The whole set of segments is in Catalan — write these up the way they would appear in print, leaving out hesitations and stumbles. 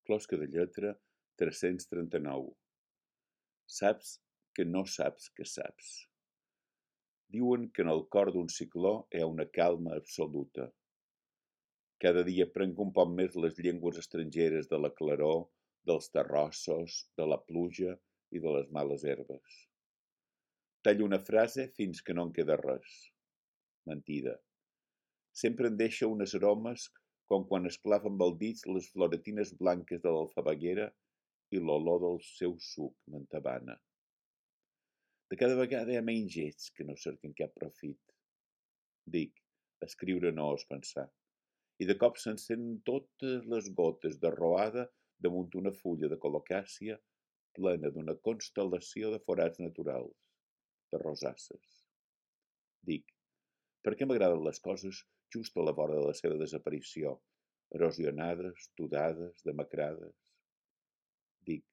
Closca de lletra 339. Saps que no saps que saps. Diuen que en el cor d'un cicló hi ha una calma absoluta. Cada dia aprenc un poc més les llengües estrangeres de la claror, dels terrossos, de la pluja i de les males herbes. Tallo una frase fins que no en queda res. Mentida. Sempre em deixa unes aromes com quan esclava amb el dit les floretines blanques de l'alfabaguera i l'olor del seu suc m'entabana. De cada vegada hi ha menys gets que no cerquen cap profit. Dic, escriure no és pensar. I de cop s'encenen totes les gotes de roada damunt una fulla de colocàcia plena d'una constel·lació de forats naturals, de rosasses. Dic, per què m'agraden les coses just a la vora de la seva desaparició, erosionades, tudades, demacrades? Dic,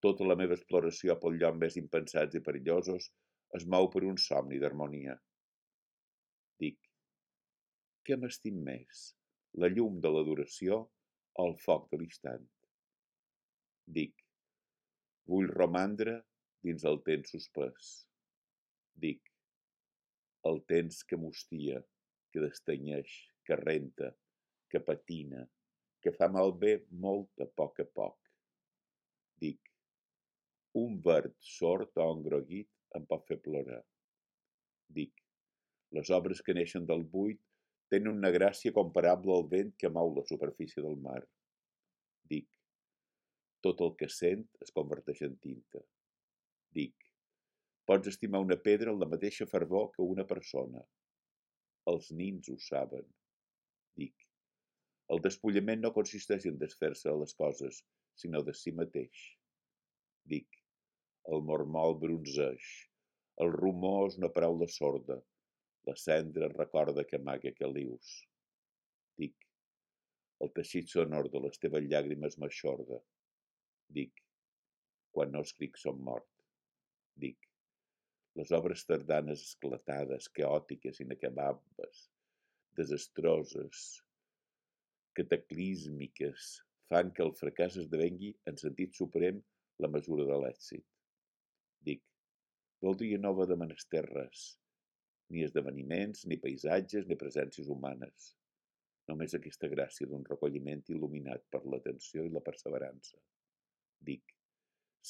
tota la meva exploració pel lloc més impensats i perillosos es mou per un somni d'harmonia. Dic, què m'estim més, la llum de l'adoració o el foc de l'instant? Dic, vull romandre dins el temps suspès. Dic, el temps que mustia, que destanyeix, que renta, que patina, que fa malbé molt a poc. Dic, un verd sord o engroguit em pot fer plorar. Dic, les obres que neixen del buit tenen una gràcia comparable al vent que mou la superfície del mar. Dic, tot el que sent es converteix en tinta. Dic, pots estimar una pedra amb la mateixa fervor que una persona. Els nins ho saben. Dic, el despullament no consisteix en desfer-se de les coses, sinó de si mateix. Dic, el mormol bronzeix, el rumor és una paraula sorda, la cendra recorda que amaga calius. Dic, el teixit sonor de les teves llàgrimes m'aixorda. Dic, quan no escric som mort. Dic, les obres tardanes esclatades, caòtiques, inacabables, desastroses, cataclísmiques, fan que el fracàs esdevengui, en sentit suprem, la mesura de l'èxit. Dic, voldria no haver de menester res, ni esdeveniments, ni paisatges, ni presències humanes. Només aquesta gràcia d'un recolliment il·luminat per l'atenció i la perseverança. Dic,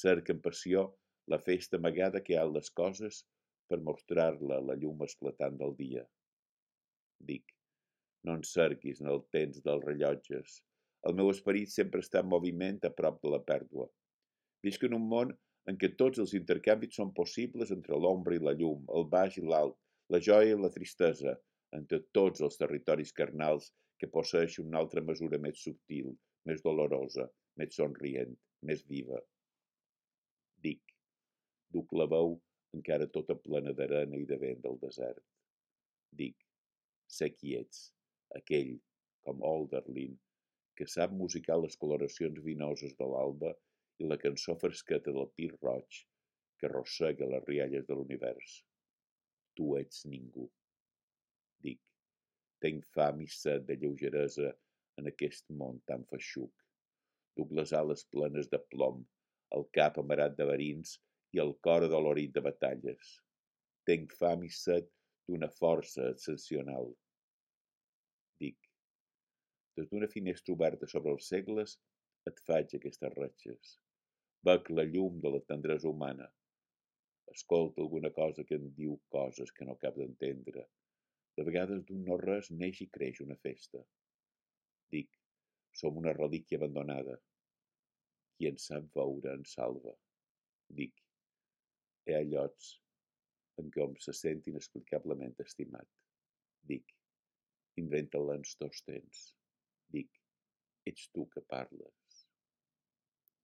cerca amb passió la festa amagada que hi ha en les coses per mostrar-la a la llum esclatant del dia. Dic, no en cerquis en el temps dels rellotges. El meu esperit sempre està en moviment a prop de la pèrdua. Visc en un món en què tots els intercanvis són possibles entre l'ombra i la llum, el baix i l'alt, la joia i la tristesa, entre tots els territoris carnals que posseeixen una altra mesura més subtil, més dolorosa, més somrient, més viva. Dic, duc la veu encara tota plena d'arena i de vent del desert. Dic, sé qui ets, aquell, com Hölderlin, que sap musicar les coloracions vinoses de l'alba i la cançó fresqueta del pi roig que arrossega les rialles de l'univers. Tu ets ningú. Dic, tenc fam i set de lleugeresa en aquest món tan feixuc. Duc les ales plenes de plom, el cap amarat de verins i el cor adolorit de batalles. Tenc fam i set d'una força excepcional. Dic, des d'una finestra oberta sobre els segles et faig aquestes ratxes. Bec la llum de la tendresa humana. Escolta alguna cosa que em diu coses que no cap d'entendre. De vegades d'un no res neix i creix una festa. Dic, som una relíquia abandonada. Qui en sap veure en salva. Dic, hi ha llocs en què hom se sent inexplicablement estimat. Dic, inventa-la en tots temps. Dic, ets tu que parles.